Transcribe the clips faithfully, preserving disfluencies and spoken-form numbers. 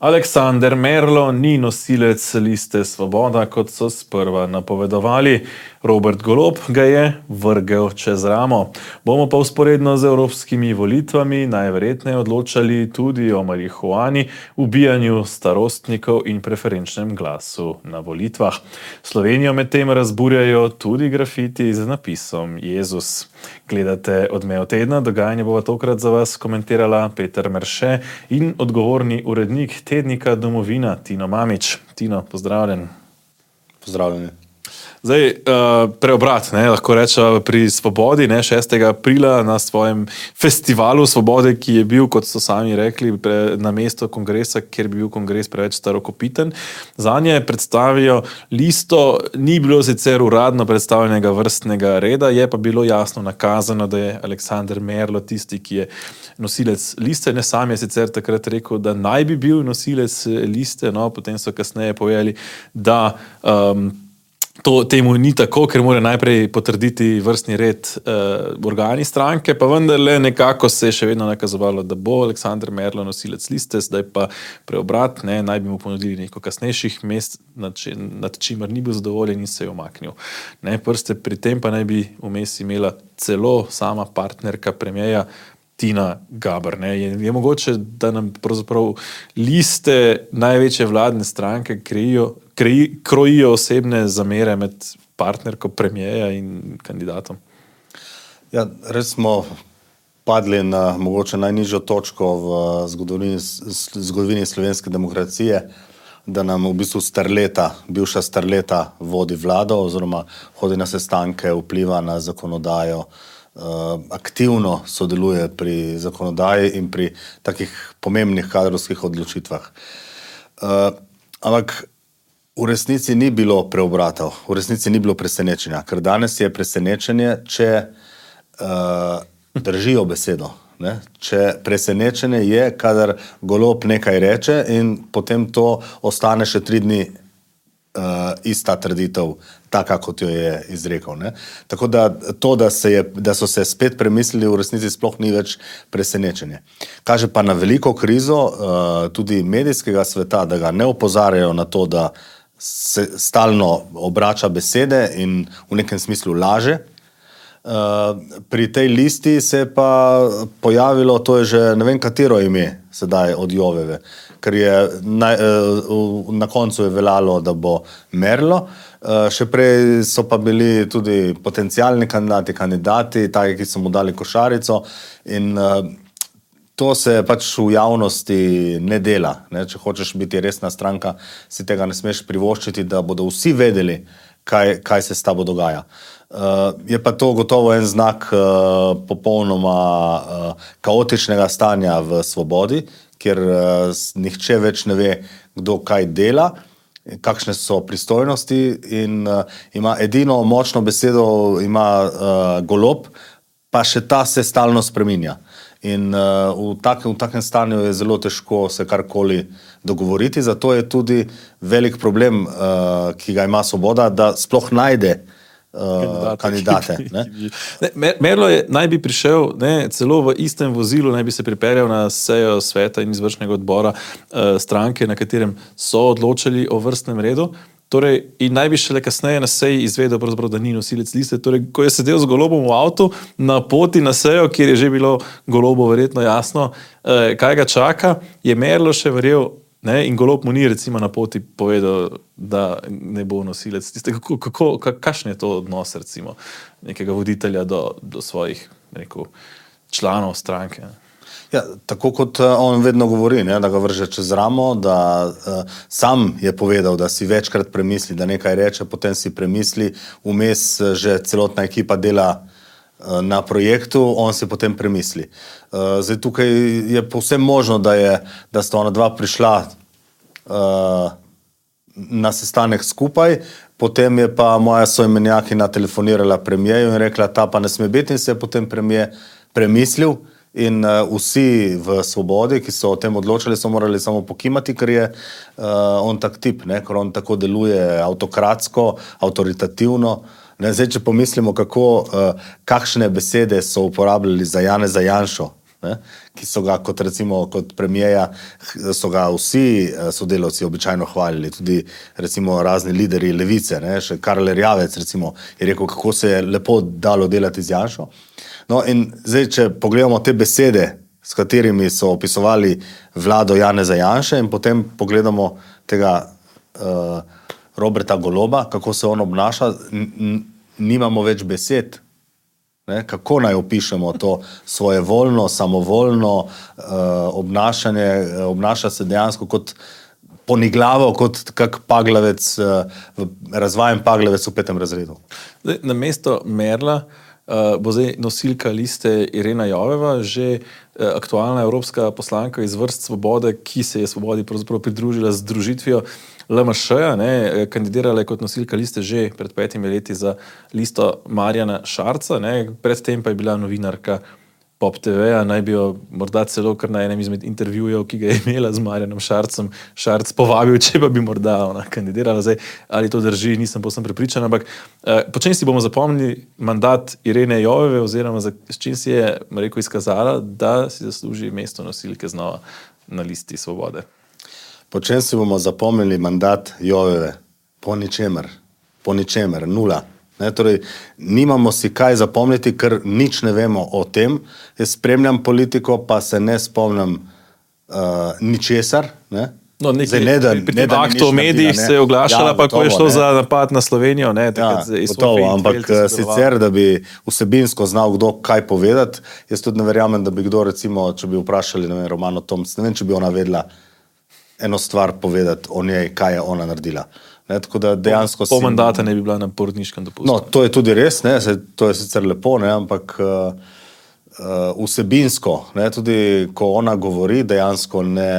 Aleksander Merlo ni nosilec liste Svoboda, kot so sprva napovedovali. Robert Golob ga je vrgel čez ramo. Bomo pa vzporedno z evropskimi volitvami najverjetneje odločali tudi o marihuani, ubijanju starostnikov in preferenčnem glasu na volitvah. Slovenijo medtem razburjajo tudi grafiti z napisom Jezus. Gledate Odmev tedna, dogajanje bova tokrat za vas komentirala Peter Merše in odgovorni urednik tednika Domovina Tino Mamić. Tino, pozdravljen. Pozdravljeni. Zdaj, uh, preobrat, ne, lahko rečem, pri Svobodi, ne, šestega aprila na svojem festivalu Svobode, ki je bil, kot so sami rekli, pre, na mesto kongresa, kjer bi bil kongres preveč starokopiten. Zanje predstavijo listo, ni bilo sicer uradno predstavljenega vrstnega reda, je pa bilo jasno nakazano, da je Aleksander Merlo tisti, ki je nosilec liste. Ne, sam je sicer takrat rekel, da naj bi bil nosilec liste, no, potem so kasneje povedali, da um, To temu ni tako, ker mora najprej potrditi vrstni red eh, organi stranke, pa vendarle nekako se je še vedno nakazovalo, da bo Aleksander Merlo nosilec liste, zdaj pa preobrat, ne, naj bi mu ponudili neko kasnejših mest, nad, či, nad čimer ni bil zadovoljen in se je umaknil. Ne, prste pri tem pa naj bi vmes imela celo sama partnerka premierja Tina Gaber. Ne. Je, je mogoče, da nam pravzaprav liste največje vladne stranke krijo Kreji, krojijo osebne zamere med partnerko premierja in kandidatom? Ja, res smo padli na mogoče najnižjo točko v zgodovini, zgodovini slovenske demokracije, da nam v bistvu starleta, bivša starleta vodi vlado oziroma hodi na sestanke, vpliva na zakonodajo, aktivno sodeluje pri zakonodaji in pri takih pomembnih kadrovskih odločitvah. Ampak v resnici ni bilo preobratov, v resnici ni bilo presenečenja, ker danes je presenečenje, če uh, držijo besedo. Ne? Če presenečenje je, kadar Golob nekaj reče in potem to ostane še tri dni uh, ista trditev, taka, kot jo je izrekel. Ne? Tako da to, da, se je, da so se spet premislili, v resnici sploh ni več presenečenje. Kaže pa na veliko krizo uh, tudi medijskega sveta, da ga ne opozarjajo na to, da se stalno obrača besede in v nekem smislu laže. Pri tej listi se je pa pojavilo, to je že ne vem katero ime sedaj od Joveve, ker je na, na koncu je veljalo, da bo Merlo. Še prej so pa bili tudi potencialni kandidati, kandidati, taki, ki so mu dali košarico in to se pač v javnosti ne dela. Ne? Če hočeš biti resna stranka, si tega ne smeš privoščiti, da bodo vsi vedeli, kaj, kaj se s tabo dogaja. Uh, je pa to gotovo en znak uh, popolnoma uh, kaotičnega stanja v Svobodi, kjer uh, nihče več ne ve, kdo kaj dela, kakšne so pristojnosti in uh, ima edino močno besedo, ima uh, Golob, pa še ta se stalno spreminja. In uh, v, takem, v takem stanju je zelo težko se karkoli dogovoriti, zato je tudi velik problem, uh, ki ga ima Svoboda, da sploh najde uh, kandidate. Ne? Ne, Merlo je, naj bi prišel, ne, celo v istem vozilu, naj bi se pripeljal na sejo sveta in izvršnega odbora uh, stranke, na katerem so odločili o vrstnem redu. Torej, in naj bi šele kasneje na seji izvedel, da ni nosilec liste. Torej, ko je sedel z Golobom v avtu na poti na sejo, kjer je že bilo Golobu verjetno jasno, eh, kaj ga čaka, je Merlo še verjel, ne, in Golob mu ni recimo na poti povedal, da ne bo nosilec liste. Kako, kako, kakšen je to odnos recimo nekega voditelja do, do svojih, rekel, članov stranke? Ne? Ja, tako kot on vedno govori, ne, da ga vrže čez ramo, da uh, sam je povedal, da si večkrat premisli, da nekaj reče, potem si premisli, vmes že celotna ekipa dela uh, na projektu, on si potem premisli. Uh, zdaj tukaj je povsem možno, da, je, da sta ona dva prišla uh, na sestanek skupaj, potem je pa moja soimenjakinja telefonirala premierju in rekla, ta pa ne sme biti, in se je potem premijer premislil. In uh, vsi v Svobodi, ki so o tem odločili, so morali samo pokimati, ker je uh, on tak tip, ne? Ker on tako deluje avtokratsko, avtoritativno. Ne? Zdaj, če pomislimo, kako, uh, kakšne besede so uporabljali za Janeza Janšo, ne, ki so ga kot recimo kot premijeja, so ga vsi sodelavci običajno hvalili, tudi recimo razni lideri levice, ne, še Karl Erjavec recimo je rekel, kako se je lepo dalo delati z Janšo. No in zdaj, če pogledamo te besede, s katerimi so opisovali vlado Janeza Janše in potem pogledamo tega uh, Roberta Goloba, kako se on obnaša, nimamo več besed. Ne? Kako naj opišemo to svojevoljno, samovoljno uh, obnašanje, obnaša se dejansko kot poniglavo, kot kak paglavec, uh, razvajen paglavec v petem razredu. Zdaj, na mesto Merla uh, bo zdaj nosilka liste Irena Joveva, že uh, aktualna evropska poslanka iz vrst Svobode, ki se je Svobodi pravzaprav pridružila z združitvijo L M Š-ja, ne, kandidirala je kot nosilka liste že pred petimi leti za listo Marjana Šarca, ne, predtem pa je bila novinarka Pop T V-ja, naj bi jo morda celo kar na enem izmed intervjujev, ki ga je imela z Marjanom Šarcem, Šarc povabil, če pa bi morda ona kandidirala. Zdaj, ali to drži, nisem povsem prepričan, ampak eh, po čem si bomo zapomnili mandat Irene Joveve oziroma za, s čim si je, rekel, izkazala, da si zasluži mesto nosilke znova na listi Svobode? Po čem si bomo zapomnili mandat Joveve? Po ničemer. Po ničemer. Nula. Ne, torej, nimamo si kaj zapomniti, ker nič ne vemo o tem. Jaz spremljam politiko, pa se ne spomnim uh, ničesar. Ne? No, nekaj, ne, da, pri tem aktu o medijih se je oglašala, ja, pa gotovo, ko je šlo ne. za napad na Slovenijo. Ne, ja, gotovo, ampak sicer, da bi vsebinsko znal kdo kaj povedati, jaz tudi ne verjamem, da bi kdo, recimo, če bi vprašali, ne vem, Romano Tomc, ne vem, če bi ona vedela eno stvar povedati o njej, kaj je ona naredila. Ne, tako da dejansko po mandata ne bi bila na porodniškem dopustu. No, to je tudi res, ne, se, to je sicer lepo, ne, ampak uh, uh, vsebinsko, ne, tudi ko ona govori, dejansko ne,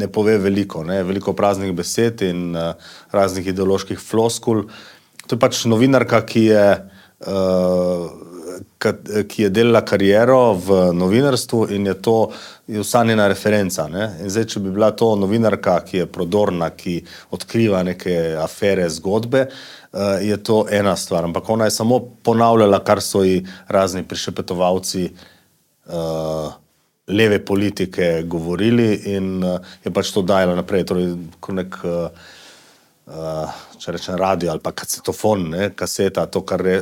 ne pove veliko, ne, veliko praznih besed in uh, raznih ideoloških floskul. To je pač novinarka, ki je uh, ki je delala kariero v novinarstvu in je to je vsa njena referenca. Ne? In zdaj, če bi bila to novinarka, ki je prodorna, ki odkriva neke afere, zgodbe, je to ena stvar. Ampak ona je samo ponavljala, kar so ji razni prišepetovalci leve politike govorili in je pač to dajala naprej. Torej, ko nek Uh, če rečem radio ali pa kasetofon, ne, kaseta, to, kar je,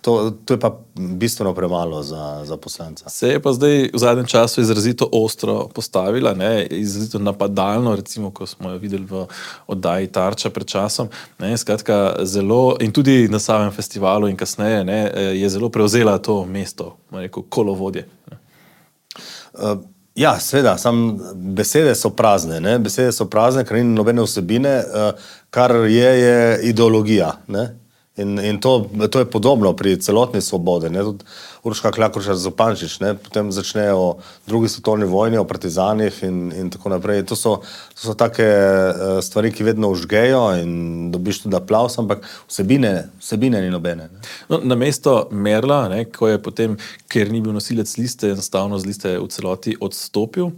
to, to je pa bistveno premalo za, za poslanca. Se je pa zdaj v zadnjem času izrazito ostro postavila, ne, izrazito napadalno, recimo, ko smo jo videli v oddaji Tarča pred časom, ne, skratka zelo, in tudi na samem festivalu in kasneje, ne, je zelo prevzela to mesto, rekel, kolovodje. Ne. Uh, Ja, seveda, sam besede so prazne, ne? Besede so prazne, ker ni nobene vsebine, kar je, je ideologija, ne? In, in to, to je podobno pri celotni Svobodi, ne? Tudi Urška Klakočar Zupančič, ne? Potem začnejo o drugi svetovni vojni, o partizanih in, in tako naprej. To so, to so take stvari, ki vedno užgejo in dobiš tudi aplavz, ampak vsebine, vsebine ni nobene. Ne? No, na mesto Merla, ne, ko je potem, ker ni bil nosilec liste, enostavno z liste v celoti odstopil,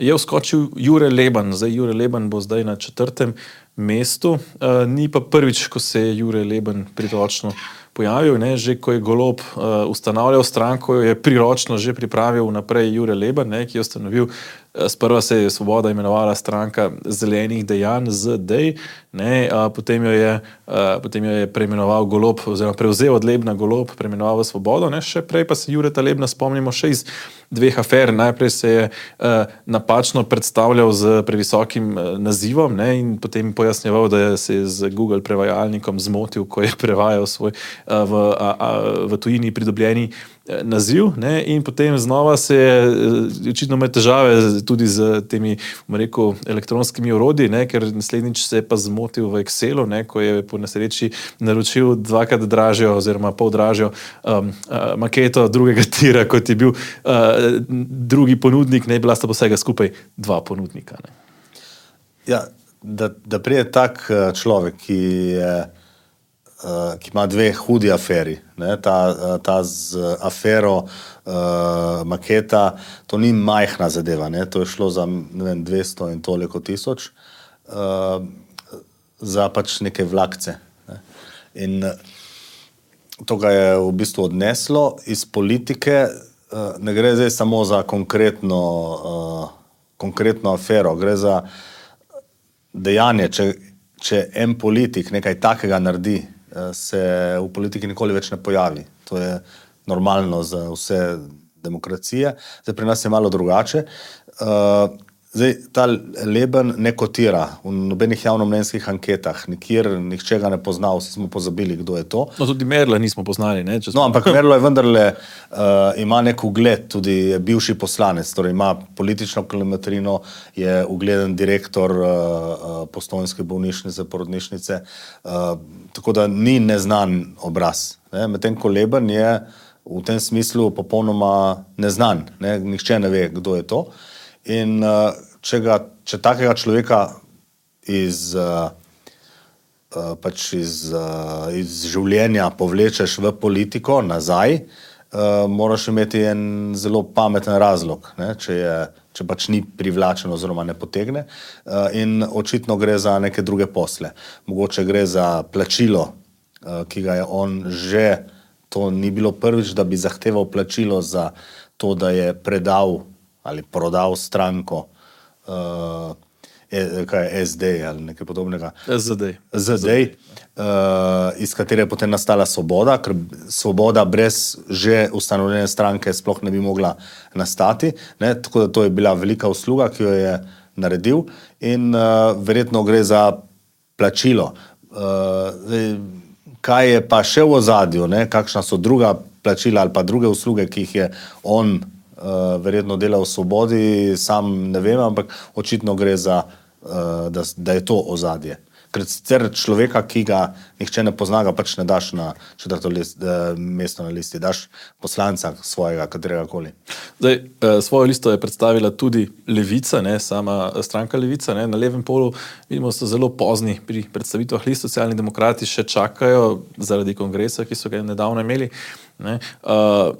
je vskočil Jure Leban. Zdaj, Jure Leban bo zdaj na četrtem mestu. Uh, ni pa prvič, ko se je Jure Leban priročno pojavil, ne, že ko je Golob uh, ustanavljal stranko, je priročno že pripravil naprej Jure Leban, ne, ki je ustanovil, uh, sprva se je Svoboda imenovala stranka zelenih dejanj Z D, ne, uh, potem, jo je, uh, potem jo je preimenoval Golob, oziroma prevzel od Lebna Golob, preimenoval v Svobodo, ne, še prej pa se Jureta Lebna spomnimo še iz dveh afer. Najprej se je uh, napačno predstavljal z previsokim uh, nazivom, ne, in potem pojasnjeval, da se je z Google prevajalnikom zmotil, ko je prevajal svoj uh, v, a, a, v tujini pridobljeni uh, naziv, ne, in potem znova se je uh, očitno imel težave tudi z temi, bom rekel, elektronskimi orodji, ne, ker naslednjič se je pa zmotil v Excelu, ne, ko je po nesreči naročil dvakrat dražjo oziroma pol dražjo um, uh, maketo drugega tira, kot je bil uh, drugi ponudnik, ne, bila sta pa vsega skupaj dva ponudnika. Ne. Ja, da, da prije tak človek, ki, je, ki ima dve hudi aferi, ne, ta, ta z afero uh, maketa, to ni majhna zadeva, ne, to je šlo za ne vem, dvesto in toliko tisoč, uh, za pač neke vlakce. Ne. In to ga je v bistvu odneslo iz politike. ne gre zdaj samo za konkretno, uh, konkretno afero, gre za dejanje. Če, če en politik nekaj takega naredi, se v politiki nikoli več ne pojavi. To je normalno za vse demokracije. Zdaj pri nas je malo drugače. Uh, Zdaj, ta Leben ne kotira v nobenih javnomnenjskih anketah, nikjer nihče ga ne pozna, vsi smo pozabili, kdo je to. No, tudi Merla nismo poznali. Ne, smo... No, ampak Merlo je vendarle, uh, ima nek ugled, tudi je bivši poslanec, torej ima politično kilometrino, je ugleden direktor uh, uh, Postojnske bolnišnice, porodnišnice, uh, tako da ni neznan obraz. Ne. Medtem ko Leben je v tem smislu popolnoma neznan, ne. Nihče ne ve, kdo je to. In uh, če, ga, če takega človeka iz, uh, uh, pač iz, uh, iz življenja povlečeš v politiko nazaj, uh, moraš imeti en zelo pameten razlog, ne? Če, je, če pač ni privlačen oziroma ne potegne. Uh, in očitno gre za neke druge posle. Mogoče gre za plačilo, uh, ki ga je on že, to ni bilo prvič, da bi zahteval plačilo za to, da je predal ali prodal stranko uh, kaj je S D ali nekaj podobnega. S D. S D, uh, iz katere je potem nastala Svoboda, ker Svoboda brez že ustanovljene stranke sploh ne bi mogla nastati. Ne? Tako da to je bila velika usluga, ki jo je naredil in uh, verjetno gre za plačilo. Uh, zdaj, kaj je pa še v ozadju, ne? Kakšna so druga plačila ali pa druge usluge, ki jih je on Uh, verjetno dela v Svobodi, sam ne vem, ampak očitno gre za, uh, da, da je to ozadje. Ker sicer človeka, ki ga nihče ne pozna, ga pač ne daš na četrto list, uh, mesto na listi, daš poslanca svojega, katerega koli. Zdaj, uh, svojo listo je predstavila tudi Levica, ne, sama stranka Levica, ne, na levem polu vidimo, so zelo pozni pri predstavitvah list, socialni demokrati še čakajo zaradi kongresa, ki so ga nedavno imeli, ne, uh,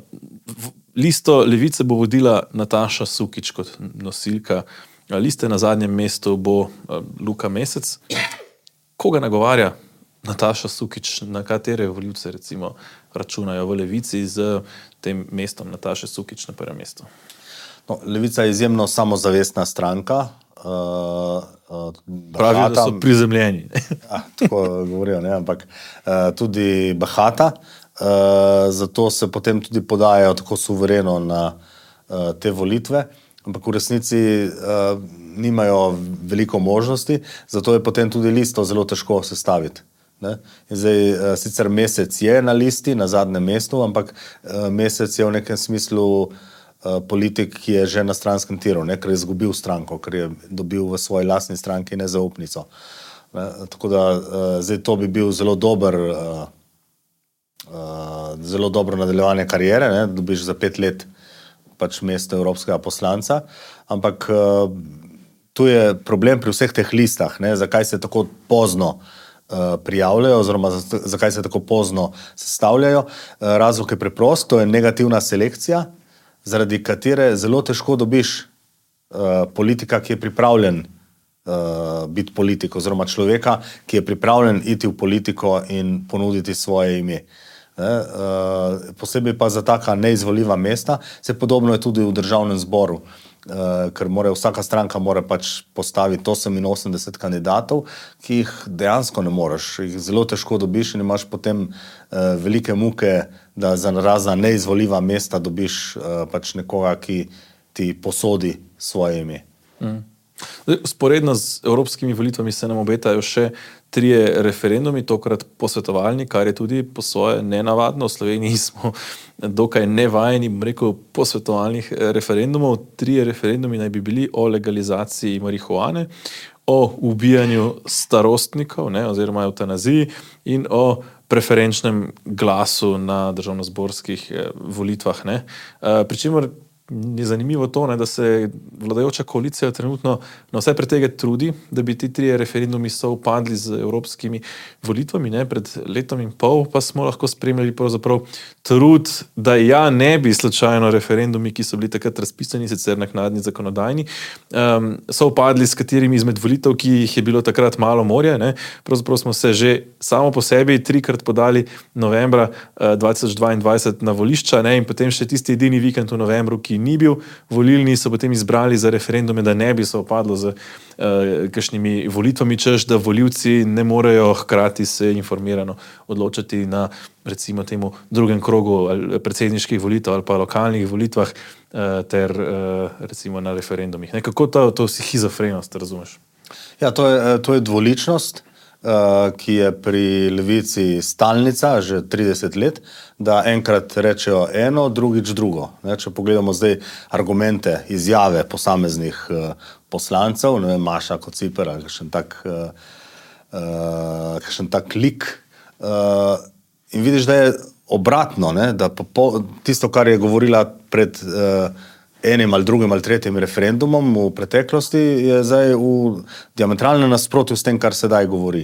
v, Listo Levice bo vodila Nataša Sukič kot nosilka. Liste na zadnjem mestu bo Luka Mesec. Koga nagovarja Nataša Sukič, na katere volivce recimo računajo v Levici z tem mestom Nataše Sukič na prvem mestu? No, Levica je izjemno samozavestna stranka. Uh, uh, Pravijo, da so prizemljeni. Ja, tako govorijo, ne, ampak uh, tudi bahata. Uh, zato se potem tudi podajajo tako suvereno na uh, te volitve, ampak v resnici uh, nimajo veliko možnosti, zato je potem tudi listo zelo težko sestaviti. Ne? In zdaj, uh, sicer Mesec je na listi, na zadnjem mestu, ampak uh, Mesec je v nekem smislu uh, politik, ki je že na stranskem tiru, ne? Ker je izgubil stranko, ker je dobil v svoji lastni stranki nezaupnico. Ne? Tako da uh, zdaj to bi bil zelo dober uh, Uh, zelo dobro nadaljevanje karijere, ne? Dobiš za pet let pač mesto evropskega poslanca, ampak uh, tu je problem pri vseh teh listah, ne? Zakaj se tako pozno uh, prijavljajo oziroma zakaj se tako pozno sestavljajo. Uh, razlog je preprost, to je negativna selekcija, zaradi katere zelo težko dobiš uh, politika, ki je pripravljen uh, biti politik oziroma človeka, ki je pripravljen iti v politiko in ponuditi svoje ime. Ne, uh, posebej pa za taka neizvoljiva mesta, se podobno je tudi v državnem zboru, uh, ker more, vsaka stranka mora pač postaviti oseminosemdeset kandidatov, ki jih dejansko ne moreš, jih zelo težko dobiš in imaš potem uh, velike muke, da za razna neizvoljiva mesta dobiš uh, pač nekoga, ki ti posodi svoje ime. Mm. Sporedno z evropskimi volitvami se nam obetajo še trije referendumi, tokrat posvetovalni, kar je tudi po svoje nenavadno. V Sloveniji smo dokaj nevajeni, bom rekel, posvetovalnih referendumov. Trije referendumi naj bi bili o legalizaciji marihuane, o ubijanju starostnikov, ne, oziroma eutanaziji in o preferenčnem glasu na državnozborskih volitvah. Ne. Pričemer je zanimivo to, ne, da se vladajoča koalicija trenutno na vse pretege trudi, da bi ti trije referendumi sovpadli z evropskimi volitvami. Ne. Pred letom in pol pa smo lahko spremljali pravzaprav trud, da ja ne bi slučajno referendumi, ki so bili takrat razpisani, sicer naknadni zakonodajni, um, sovpadli s katerimi izmed volitev, ki jih je bilo takrat malo morja. Ne. Pravzaprav smo se že samo po sebi trikrat podali novembra uh, dva tisoč dvaindvajset na volišča, ne, in potem še tisti edini vikend v novembru, ki ni bil volilni, so potem izbrali za referendume, da ne bi se opadlo z uh, kakšnimi volitvami, češ, da volivci ne morejo hkrati se informirano odločati na recimo temu drugem krogu predsedniških volitev ali pa lokalnih volitvah uh, ter uh, recimo na referendumih. Ne, kako to, to schizofrenost razumeš? Ja, to je, to je dvoličnost, Uh, ki je pri levici stalnica že trideset let, da enkrat rečejo eno, drugič drugo. Ne, če pogledamo zdaj argumente, izjave posameznih uh, poslancev, ne vem, Maša Kociper ali kakšen tak, uh, uh, kakšen tak lik, uh, in vidiš, da je obratno, ne, da po, po, tisto, kar je govorila pred uh, enim ali drugim ali tretjim referendumom v preteklosti, je zdaj v diametralnem nasprotju s tem, kar sedaj govori.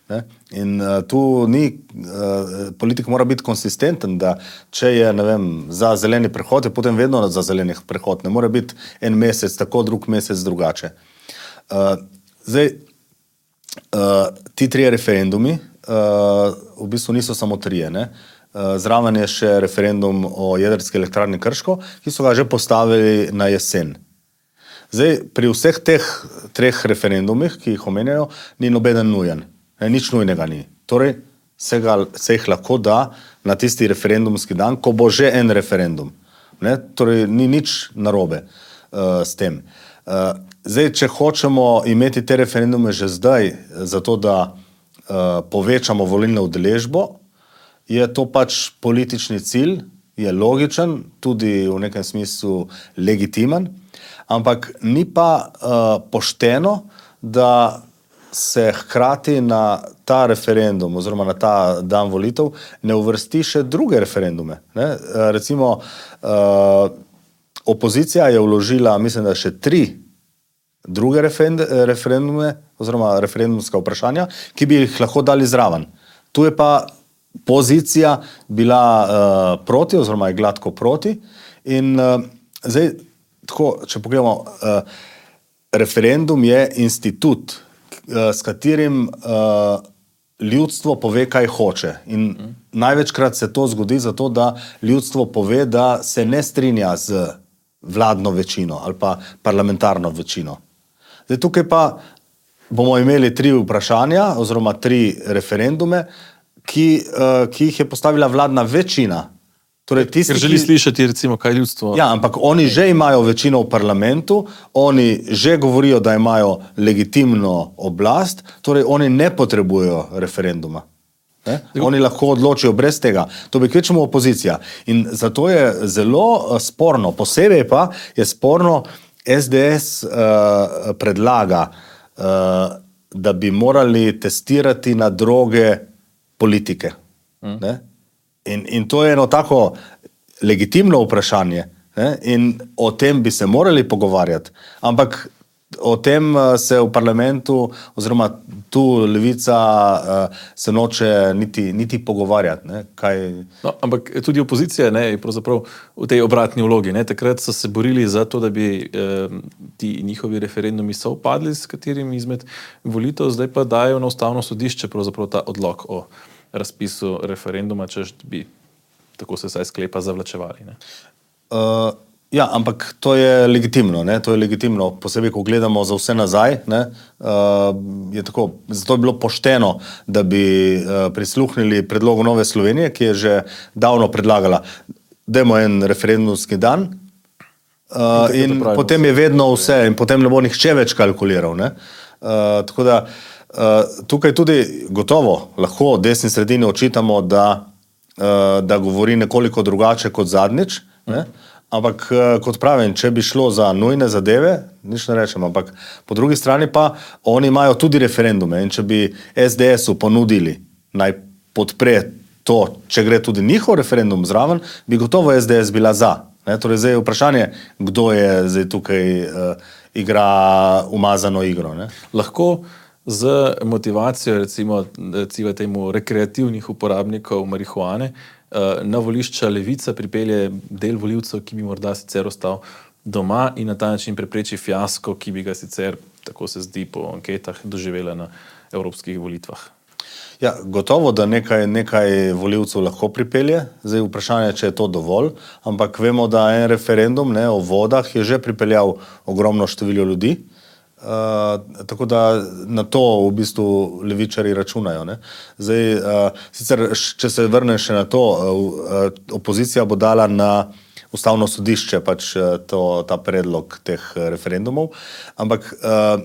Ne? In uh, tu ni, uh, politik mora biti konsistenten, da če je, ne vem, za zeleni prehod, je potem vedno za zeleni prehod. Ne more biti en mesec tako, drug mesec drugače. Uh, zdaj, uh, ti trije referendumi uh, v bistvu niso samo trije, ne? Zraven je še referendum o jedrski elektrarni Krško, ki so ga že postavili na jesen. Zdaj, pri vseh teh treh referendumih, ki jih omenjajo, ni nobeden nujen. Ne, nič nujnega ni. Torej, se, ga, se jih lahko da na tisti referendumski dan, ko bo že en referendum. Ne, torej, ni nič narobe uh, s tem. Uh, zdaj, če hočemo imeti te referendume že zdaj, zato da uh, povečamo volilno udeležbo, je to pač politični cilj, je logičen, tudi v nekem smislu legitimen, ampak ni pa uh, pošteno, da se hkrati na ta referendum oziroma na ta dan volitev ne uvrsti še druge referendume. Ne? Uh, recimo, uh, opozicija je vložila, mislim, da še tri druge referendume oziroma referendumska vprašanja, ki bi jih lahko dali zraven. Tu je pa pozicija bila uh, proti oziroma je gladko proti in uh, zdaj, tako, če pogledamo, uh, referendum je institut, uh, s katerim uh, ljudstvo pove, kaj hoče. In mm. največkrat se to zgodi zato, da ljudstvo pove, da se ne strinja z vladno večino ali pa parlamentarno večino. Zdaj, tukaj pa bomo imeli tri vprašanja oziroma tri referendume, Ki, uh, ki jih je postavila vladna večina. Torej, tisti, Ker želi ki... slišati, recimo, kaj ljudstvo... Ja, ampak oni že imajo večino v parlamentu, oni že govorijo, da imajo legitimno oblast, torej oni ne potrebujejo referenduma. Ne? Oni lahko odločijo brez tega. To bi kvečemo opozicija. In zato je zelo sporno, posebej pa je sporno, es de es uh, predlaga, uh, da bi morali testirati na droge politike. Ne? In, in to je eno tako legitimno vprašanje, ne? In o tem bi se morali pogovarjati, ampak o tem se v parlamentu oziroma tu levica uh, se noče niti, niti pogovarjati. Ne? Kaj... No, ampak tudi opozicija ne, je pravzaprav v tej obratni vlogi. Ne? Takrat so se borili za to, da bi eh, ti njihovi referendumi sovpadli s katerim izmed volitev, zdaj pa dajo na ustavno sodišče pravzaprav ta odlok o razpisu referenduma, češ bi, tako se saj sklepa, zavlačevali. Ne? Uh, ja, ampak to je legitimno, ne? To je legitimno, posebej, ko gledamo za vse nazaj, ne? Uh, je tako, zato je bilo pošteno, da bi uh, prisluhnili predlogu Nove Slovenije, ki je že davno predlagala, dajmo en referendumski dan uh, in, in potem je vedno vse in potem ne bo nihče več kalkuliral. Ne? Uh, tako da Uh, tukaj tudi gotovo lahko desni sredini očitamo, da, uh, da govori nekoliko drugače kot zadnjič, ne? Ampak uh, kot pravim, če bi šlo za nujne zadeve, nič ne rečem, ampak po drugi strani pa oni imajo tudi referendume in če bi es de esu ponudili naj podpre to, če gre tudi njihov referendum zraven, bi gotovo es de es bila za. Ne? Torej, zdaj je vprašanje, kdo je zdaj tukaj uh, igra umazano igro. Ne? Lahko z motivacijo, recimo, recimo temu rekreativnih uporabnikov marihuane, na volišča Levica pripelje del volivcev, ki bi morda sicer ostal doma in na ta način prepreči fiasko, ki bi ga sicer, tako se zdi po anketah, doživela na evropskih volitvah. Ja, gotovo, da nekaj, nekaj volivcev lahko pripelje. Zdaj vprašanje, če je to dovolj, ampak vemo, da en referendum ne, o vodah je že pripeljal ogromno število ljudi. Uh, tako da na to v bistvu levičari računajo. Ne? Zdaj, uh, sicer, če se vrnem še na to, uh, opozicija bo dala na ustavno sodišče pač to, ta predlog teh referendumov, ampak uh,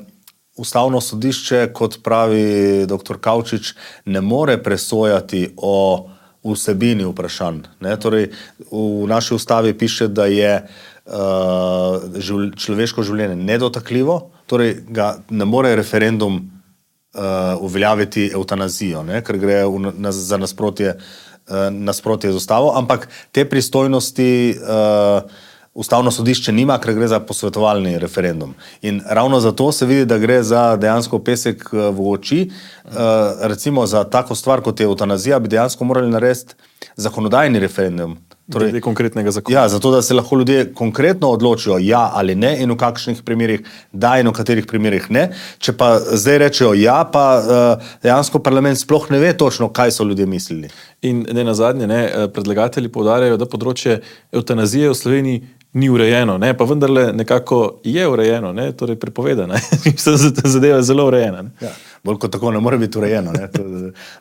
ustavno sodišče, kot pravi doktor Kavčič, ne more presojati o vsebini vprašanj. Ne? Torej, v naši ustavi piše, da je uh, živl, človeško življenje nedotakljivo, torej ga ne more referendum uh, uveljaviti evtanazijo, ne? Ker gre v, na, za nasprotje, uh, nasprotje z ustavo, ampak te pristojnosti uh, ustavno sodišče nima, ker gre za posvetovalni referendum. In ravno zato se vidi, da gre za dejansko pesek v oči. Uh, recimo za tako stvar, kot je evtanazija, bi dejansko morali narediti zakonodajni referendum. Torej, konkretnega zakona. Ja, zato, da se lahko ljudje konkretno odločijo ja ali ne in v kakšnih primerih da in v katerih primerih ne. Če pa zdaj rečejo ja, pa uh, dejansko parlament sploh ne ve točno, kaj so ljudje mislili. In ne nazadnje, ne, predlagatelji poudarjajo, da področje evtanazije v Sloveniji ni urejeno, ne, pa vendarle nekako je urejeno, ne, torej prepovedano. Zadeva je zelo urejena. Ja, bolj kot tako ne more biti urejeno, ne, to,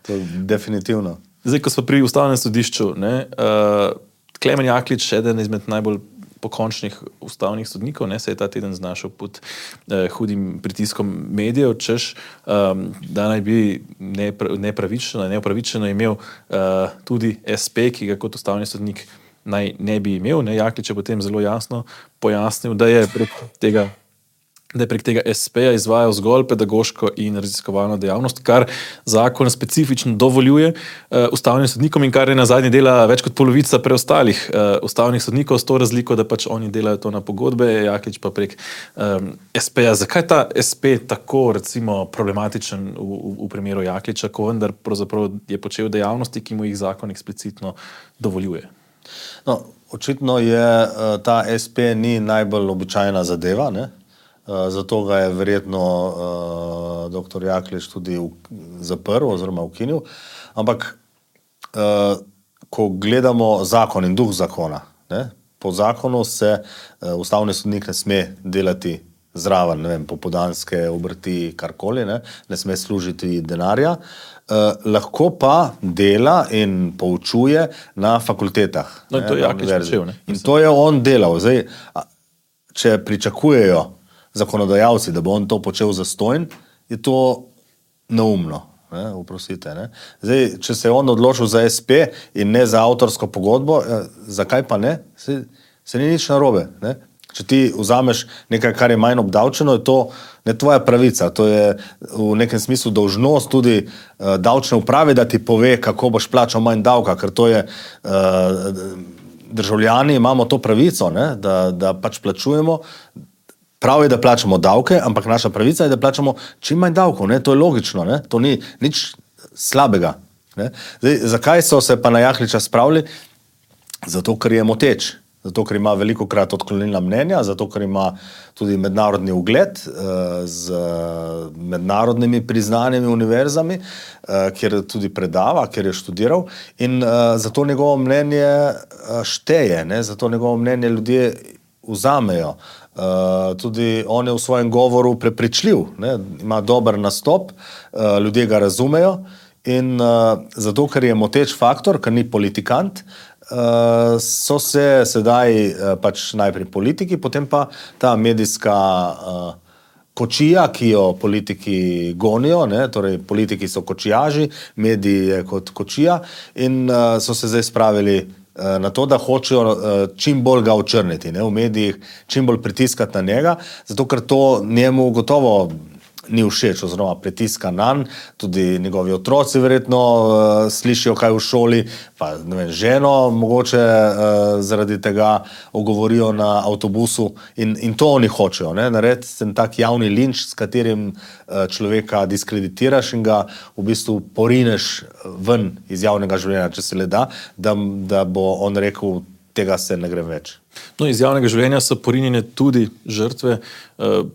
to definitivno. Zdaj, ko smo pri ustavnem sodišču, ne, uh, Klemen Jaklič, eden izmed najbolj pokončnih ustavnih sodnikov, ne, se je ta teden znašel pod eh, hudim pritiskom medijev, češ, um, da naj bi nepra, nepravičeno, neopravičeno imel uh, tudi es pe, ki ga kot ustavni sodnik naj ne bi imel. Ne. Jaklič je potem zelo jasno pojasnil, da je prek tega da je prek tega es peja izvajal zgolj pedagoško in raziskovalno dejavnost, kar zakon specifično dovoljuje uh, ustavnim sodnikom in kar je na zadnje dela več kot polovica preostalih uh, ustavnih sodnikov, s to razliko, da pač oni delajo to na pogodbe, Jaklič pa prek um, es peja. Zakaj ta es pe tako recimo problematičen v, v, v primeru Jakliča, ko vendar pravzaprav je počel dejavnosti, ki mu jih zakon eksplicitno dovoljuje? No, očitno je uh, ta es pe ni najbolj običajna zadeva, ne? Uh, zato ga je verjetno uh, doktor Jaklič tudi v, zaprl oziroma ukinil. Ampak, uh, ko gledamo zakon in duh zakona, ne, po zakonu se uh, ustavni sodnik ne sme delati zraven, ne vem, popoldanske obrti, karkoli, ne, ne sme služiti denarja, uh, lahko pa dela in poučuje na fakultetah. No, in to je Jaklič počel, ne? In to je on delal. Zdaj, če pričakujejo zakonodajalci, da bo on to počel zastonj, je to neumno. Ne, uprosite, ne. Zdaj, če se je on odločil za es pe in ne za avtorsko pogodbo, eh, zakaj pa ne? Se, se ni nič narobe. Ne. Če ti vzameš nekaj, kar je manj obdavčeno, je to ne tvoja pravica. To je v nekem smislu dolžnost tudi uh, davčne uprave, da ti pove, kako boš plačal manj davka, ker to je uh, državljani imamo to pravico, ne, da, da pač plačujemo. Prav je, da plačamo davke, ampak naša pravica je, da plačamo čim manj davkov. Ne? To je logično, ne? To ni nič slabega. Ne? Zdaj, zakaj so se pa na Jakliča spravili? Zato, ker je moteč. Zato, ker ima veliko krat odklonilna mnenja, zato, ker ima tudi mednarodni ugled z mednarodnimi priznanimi univerzami, kjer tudi predava, kjer je študiral in zato njegovo mnenje šteje, ne? Zato njegovo mnenje ljudje vzamejo. Uh, tudi on je v svojem govoru prepričljiv, ne? Ima dober nastop, uh, ljudje ga razumejo in uh, zato, ker je moteč faktor, ker ni politikant, uh, so se sedaj uh, pač najprej politiki, potem pa ta medijska uh, kočija, ki jo politiki gonijo, ne? Torej politiki so kočijaži, mediji je kot kočija in uh, so se zdaj spravili na to, da hočejo čim bolj ga očrniti, ne, v medijih, čim bolj pritiskati na njega, zato ker to njemu gotovo ni všeč oziroma pritiska nanj, tudi njegovi otroci verjetno uh, slišijo kaj v šoli, pa ne vem, ženo mogoče uh, zaradi tega ogovorijo na avtobusu in, in to oni hočejo, ne, narediti ten tak javni linč, s katerim uh, človeka diskreditiraš in ga v bistvu porineš ven iz javnega življenja, če se le da, da, da bo on rekel, tega se ne gre več. No, iz javnega življenja so porinjene tudi žrtve eh,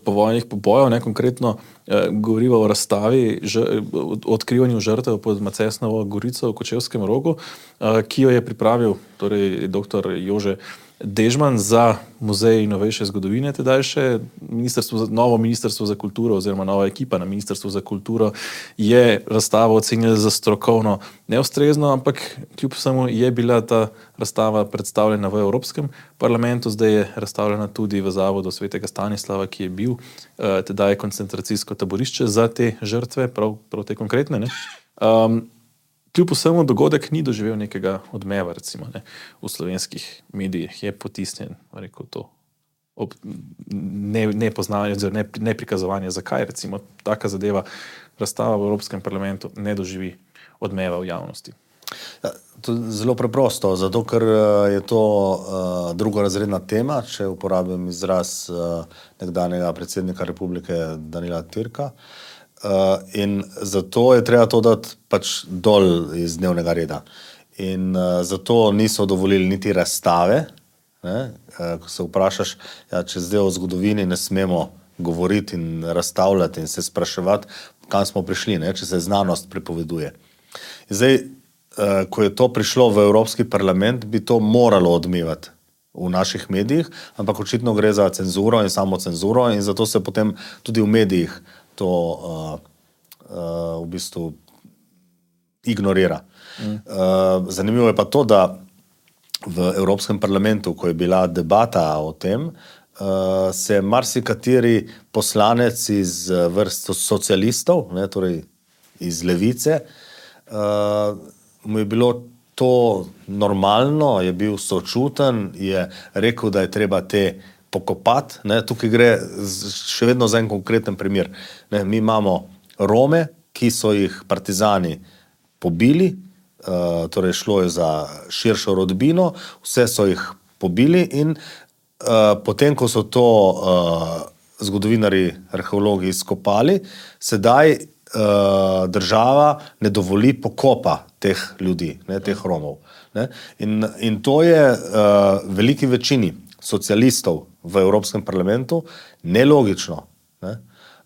povojnih pobojov, ne konkretno eh, govorimo o razstavi, ž, o odkrivanju žrtev pod Macesnovo gorico v Kočevskem Rogu, eh, ki jo je pripravil torej doktor Jože Dežman za Muzej novejše zgodovine, tedaj še ministrstvo, novo ministrstvo za kulturo oziroma nova ekipa na ministrstvu za kulturo je razstavo ocenila za strokovno neustrezno, ampak kljub vsemu je bila ta razstava predstavljena v Evropskem parlamentu, zdaj je razstavljena tudi v Zavodu svetega Stanislava, ki je bil uh, tedaj koncentracijsko taborišče za te žrtve, prav, prav te konkretne. Ne? Um, Kljub vsemu dogodek ni doživel nekega odmeva, recimo, ne, v slovenskih medijih je potisnjen, rekel to, ob nepoznavanje, ne, ne prikazovanje, zakaj recimo taka zadeva, razstava v Evropskem parlamentu ne doživi odmeva v javnosti. Ja, to je zelo preprosto, zato ker je to uh, drugorazredna tema, če uporabim izraz uh, nekdanjega predsednika republike Danila Türka. Uh, in zato je treba to dati pač dol iz dnevnega reda. In uh, zato niso dovolili niti razstave, ne? Uh, ko se vprašaš, ja, če zdaj o zgodovini ne smemo govoriti in razstavljati in se spraševati, kam smo prišli, ne? Če se znanost prepoveduje. In zdaj, uh, ko je to prišlo v Evropski parlament, bi to moralo odmevati v naših medijih, ampak očitno gre za cenzuro in samo cenzuro in zato se potem tudi v medijih to uh, uh, v bistvu ignorira. Mm. Uh, zanimivo je pa to, da v Evropskem parlamentu, ko je bila debata o tem, uh, se marsikateri poslanec iz vrst socialistov, ne, torej iz levice, uh, mu je bilo to normalno, je bil sočuten, je rekel, da je treba te pokopati, ne, tukaj gre še vedno za en konkreten primer. Ne, mi imamo Rome, ki so jih partizani pobili, uh, torej šlo je za širšo rodbino, vse so jih pobili in uh, potem, ko so to uh, zgodovinari, arheologi izkopali, sedaj uh, država ne dovoli pokopa teh ljudi, ne, teh Romov. Ne. In, in to je uh, veliki večini socialistov v Evropskem parlamentu nelogično. Ne?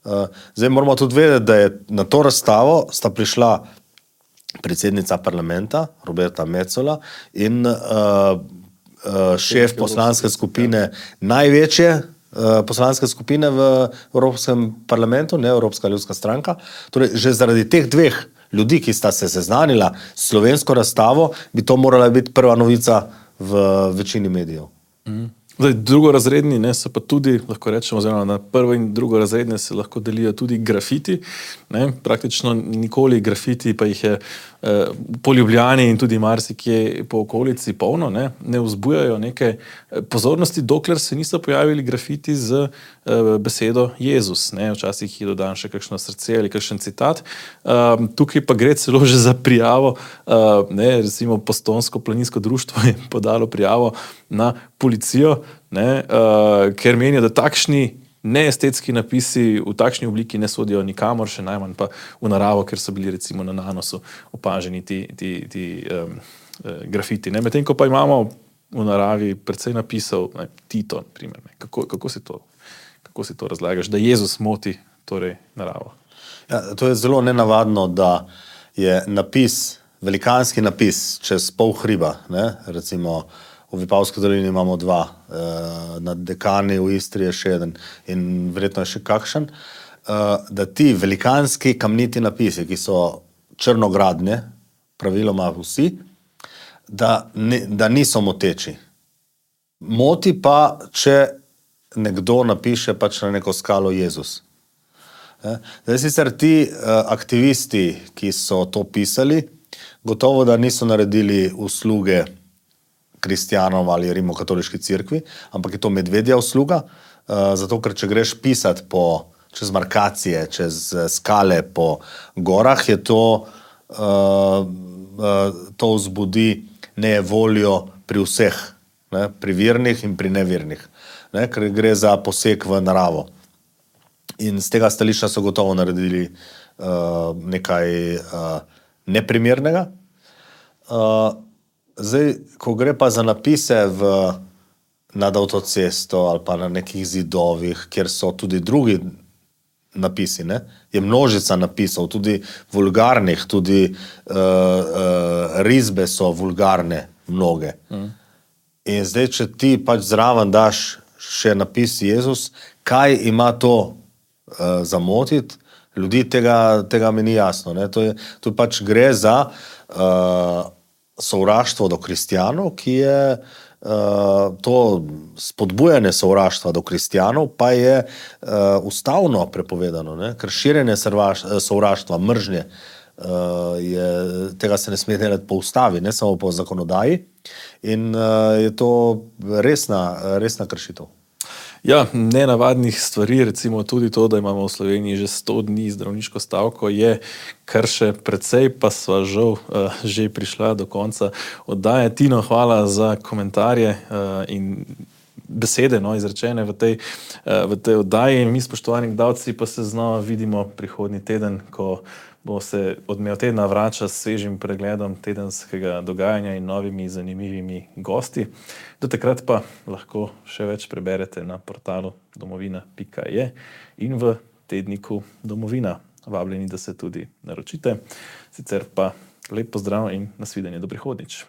Uh, zdaj moramo tudi vedeti, da je na to razstavo sta prišla predsednica parlamenta Roberta Metsola in uh, uh, šef poslanske skupine, največje uh, poslanske skupine v Evropskem parlamentu, ne Evropska ljudska stranka. Torej, že zaradi teh dveh ljudi, ki sta se seznanila s slovensko razstavo, bi to morala biti prva novica v večini medijev. Mm. Zdaj, drugorazredni ne, so pa tudi, lahko rečemo, oziroma na prvo in drugorazredne se lahko delijo tudi grafiti. Ne, praktično nikoli grafiti, pa jih je eh, po Ljubljani in tudi marsikje po okolici polno, ne, ne vzbujajo neke pozornosti, dokler se niso pojavili grafiti z eh, besedo Jezus. Ne, včasih je dodan še kakšno srce ali kakšen citat. Um, tukaj pa gre celo že za prijavo, uh, ne, recimo Postojnsko planinsko društvo je podalo prijavo na policijo, ne, uh, ker menijo, da takšni neestetski napisi v takšni obliki ne sodijo nikamor, še najmanj pa v naravo, ker so bili recimo na nanosu opaženi ti, ti, ti um, uh, grafiti. Ne. Medtem ko pa imamo v naravi precej napisov, ne, Tito, primer, ne. Kako, kako, si to, kako si to razlagaš, da Jezus moti torej naravo? Ja, to je zelo nenavadno, da je napis, velikanski napis čez pol hriba, ne, recimo v Vipavski dolini imamo dva, eh, na Dekani v Istri je še eden in verjetno je še kakšen, eh, da ti velikanski kamniti napisi, ki so črnogradne, praviloma vsi, da, ne, da niso moteči. Moti pa, če nekdo napiše pač na neko skalo Jezus. Eh, zdaj sicer ti eh, aktivisti, ki so to pisali, gotovo, da niso naredili usluge kristjanom ali rimokatoliški cerkvi, ampak je to medvedja usluga, uh, zato ker če greš pisati po čez markacije, čez skale po gorah, je to, uh, uh, to vzbudi nejevoljo pri vseh, ne, pri virnih in pri nevirnih, ne, ker gre za poseg v naravo. In z tega stališča so gotovo naredili uh, nekaj uh, neprimernega. Uh, zdaj, ko gre pa za napise v, nad avtocesto ali pa na nekih zidovih, kjer so tudi drugi napisi, ne, je množica napisov, tudi vulgarnih, tudi uh, uh, risbe so vulgarne mnoge. Mm. In zdaj, če ti pač zraven daš še napis Jezus, kaj ima to uh, zamotiti, ljudi tega, tega mi ni jasno. Ne? To, je, to pač gre za uh, sovraštvo do kristjanov, ki je uh, to spodbujanje sovraštva do kristjanov, pa je uh, ustavno prepovedano, ne? Ker širjenje sovraštva, mržnje, uh, je, tega se ne sme delati po ustavi, ne samo po zakonodaji. In uh, je to resna, resna kršitev. Ja, nenavadnih stvari, recimo tudi to, da imamo v Sloveniji že sto dni zdravniško stavko, je kar še precej, pa sva žal uh, že prišla do konca oddaje. Tino, hvala za komentarje uh, in besede, no, izrečene v tej, uh, v tej oddaji. Mi, spoštovani gledalci, pa se znova vidimo prihodnji teden, ko bo se odmev tedna vrača s svežim pregledom tedenskega dogajanja in novimi zanimivimi gosti. Do takrat pa lahko še več preberete na portalu domovina pika je in v tedniku Domovina. Vabljeni, da se tudi naročite. Sicer pa lep pozdrav in nasvidenje do prihodnjič.